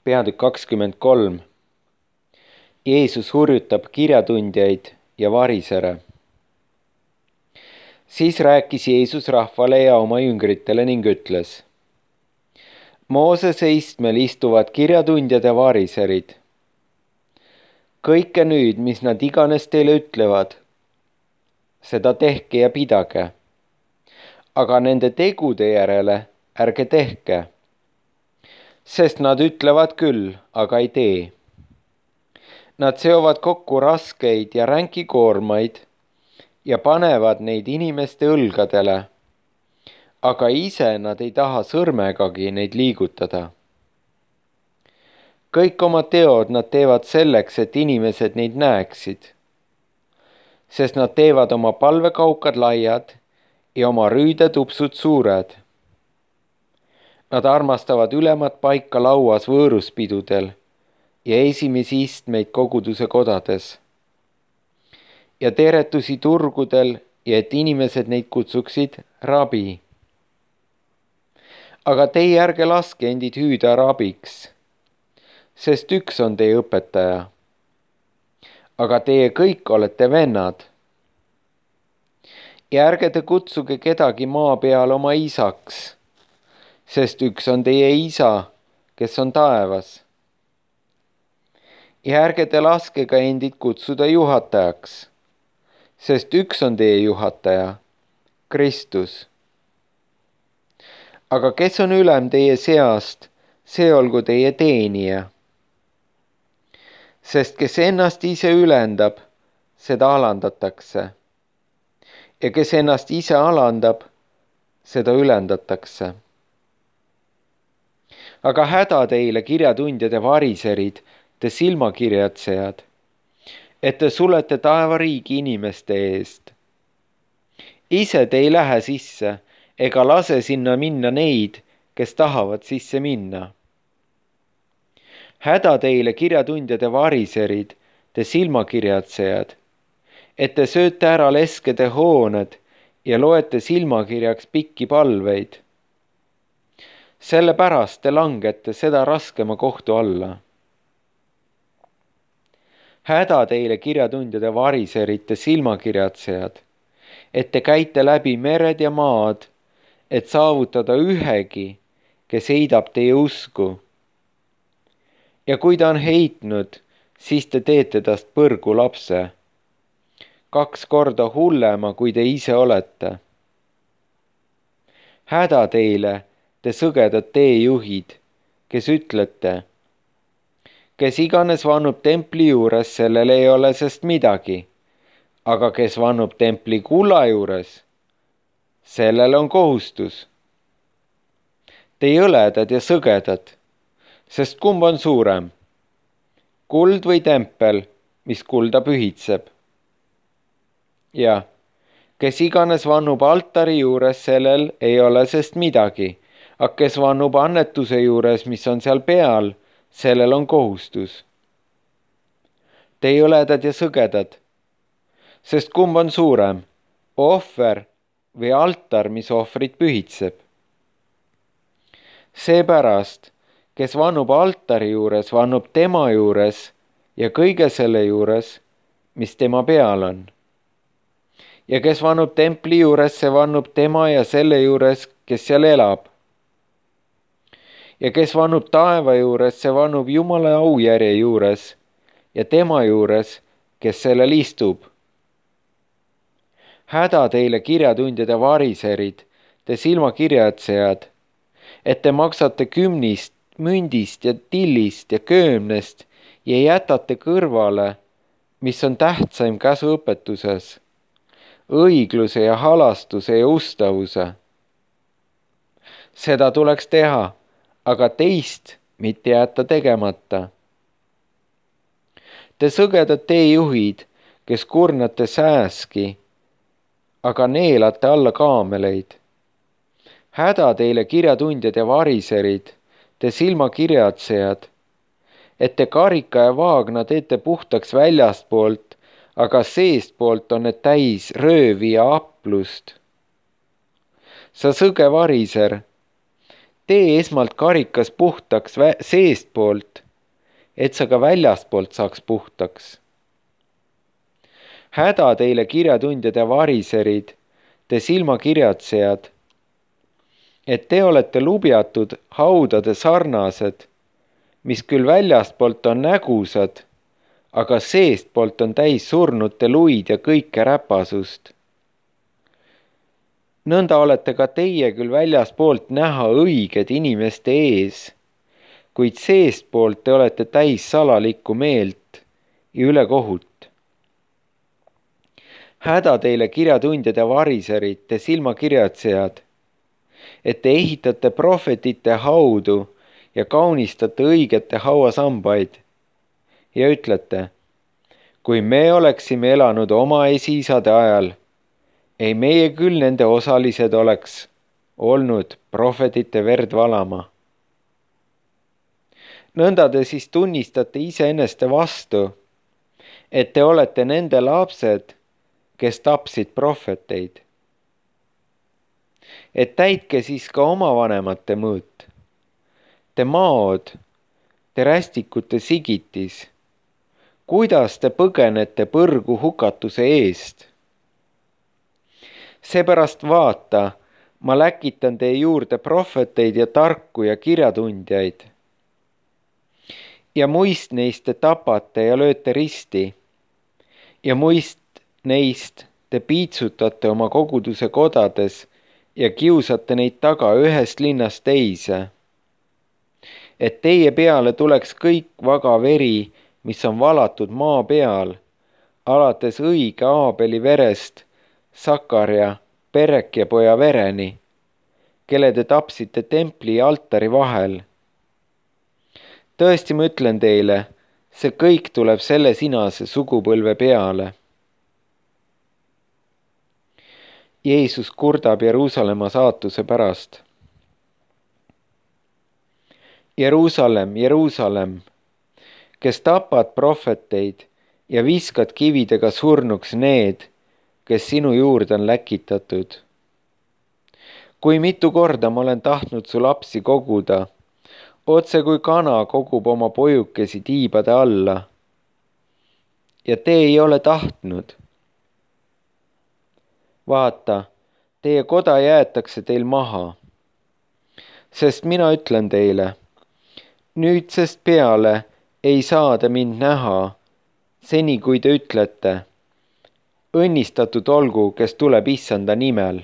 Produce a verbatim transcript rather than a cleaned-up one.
peatükk kakskümmend kolm. Jeesus hurjutab kirjatundjaid ja varisere. Siis rääkis Jeesus rahvale ja oma jüngritele ning ütles: Moosese istmel istuvad kirjatundjad ja variserid. Kõike nüüd, mis nad iganes teile ütlevad, seda tehke ja pidage. Aga nende tegude järele ärge tehke, sest nad ütlevad küll, aga ei tee. Nad seovad kokku raskeid ja ränki koormaid ja panevad neid inimeste õlgadele, aga ise nad ei taha sõrmegagi neid liigutada. Kõik oma teod nad teevad selleks, et inimesed neid näeksid, sest nad teevad oma palvekaukad laiad ja oma rüüdetupsud suured. Nad armastavad ülemat paika lauas võõruspidudel ja esimesi istmeid koguduse kodades ja teretusi turgudel ja et inimesed neid kutsuksid rabi. Aga teie ärge laske endid hüüda rabiks, sest üks on teie õpetaja. Aga teie kõik olete vennad. Ja ärge te kutsuge kedagi maa peal oma isaks, sest üks on teie isa, kes on taevas. Ja ärge te laske ka endid kutsuda juhatajaks, sest üks on teie juhataja, Kristus. Aga kes on ülem teie seast, see olgu teie teenija. Sest kes ennast ise ülendab, seda alandatakse. Ja kes ennast ise alandab, seda ülendatakse. Aga häda teile, kirjatundjad ja variserid, te silmakirjatsejad, et te sulete taevariigi inimeste eest. Ise te ei lähe sisse ega lase sinna minna neid, kes tahavad sisse minna. Häda teile, kirjatundjad ja variserid, te silmakirjatsejad, et te sööte ära leskede hooned ja loete silmakirjaks pikki palveid. Sellepärast te langete seda raskema kohtu alla. Häda teile, kirjatundjad ja variserid, te silmakirjatsejad, et te käite läbi mered ja maad, et saavutada ühegi, kes heidab teie usku. Ja kui ta on heitnud, siis te teete tast põrgu lapse, kaks korda hullema, kui te ise olete. Häda teile, te sõgedad teejuhid, kes ütlete: kes iganes vannub templi juures, sellel ei ole sest midagi, aga kes vannub templi kulla juures, sellel on kohustus. Te jõledad ja sõgedad, sest kumb on suurem, kuld või tempel, mis kulda pühitseb? Ja kes iganes vannub altari juures, sellel ei ole sest midagi, aga kes vannub annetuse juures, mis on seal peal, sellel on kohustus. Te jõledad ja sõgedad, sest kumb on suurem, ohver või altar, mis ohvrit pühitseb? Seepärast, kes vannub altari juures, vannub tema juures ja kõige selle juures, mis tema peal on. Ja kes vannub templi juures, see vannub tema ja selle juures, kes seal elab. Ja kes vannub taeva juures, see vannub Jumala aujärje juures ja tema juures, kes sellel istub. Häda teile, kirjatundjad ja variserid, te silmakirjatsejad, et te maksate kümnist, mündist ja tillist ja köömnest ja jätate kõrvale, mis on tähtsaim käsuõpetuses, õigluse ja halastuse ja ustavuse. Seda tuleks teha, aga teist mitte jätta tegemata. Te sõgedad teejuhid, kes kurnate sääski, aga neelate alla kaameleid. Häda teile, kirjatundjad ja variserid, te silmakirjatsejad, et te karika ja vaagna teete puhtaks väljastpoolt, aga seestpoolt on need täis röövi ja aplust. Sa sõge variser, tee esmalt karikas puhtaks seestpoolt, et sa ka väljaspoolt saaks puhtaks. Häda teile kirjatundjad ja variserid, te silmakirjatsejad, et te olete lubjatud haudade sarnased, mis küll väljastpoolt on nägusad, aga seestpoolt on täis surnute luid ja kõike räpasust. Nõnda olete ka teie küll väljaspoolt näha õiged inimeste ees, kuid seestpoolt te olete täis salalikku meelt ja ülekohut. Häda teile kirjatundjad ja variserid, te silmakirjatsejad, et te ehitate prohvetite haudu ja kaunistate õigete hauasambaid ja ütlete, kui me oleksime elanud oma esiisade ajal, ei meie küll nende osalised oleks olnud prohvetite verd valama. Nõnda te siis tunnistate iseenneste vastu, et te olete nende lapsed, kes tapsid prohveteid. Et täitke siis ka oma vanemate mõõt. Te maod, te rästikute sigitis, kuidas te põgenete põrgu hukatuse eest? Seepärast vaata, ma läkitan teie juurde prohveteid ja tarku ja kirjatundjaid. Ja muist neist te tapate ja lööte risti. Ja muist neist te piitsutate oma koguduse kodades ja kiusate neid taga ühest linnast teise. Et teie peale tuleks kõik vaga veri, mis on valatud maa peal, alates õige Aabeli verest, Sakarja, Perekja poja vereni, kelle te tapsite templi ja altari vahel. Tõesti ma ütlen teile, see kõik tuleb selle sinase sugupõlve peale. Jeesus kurdab Jeruusalemma saatuse pärast. Jeruusalemm, Jeruusalemm, kes tapad prohveteid ja viskad kividega surnuks need, kes sinu juurde on läkitatud. Kui mitu korda ma olen tahtnud su lapsi koguda, otse kui kana kogub oma pojukesi tiibade alla, ja te ei ole tahtnud. Vaata, teie koda jäetakse teil maha, sest mina ütlen teile, nüüdsest peale ei saa te mind näha, seni kui te ütlete, õnnistatud olgu, kes tuleb Issanda nimel.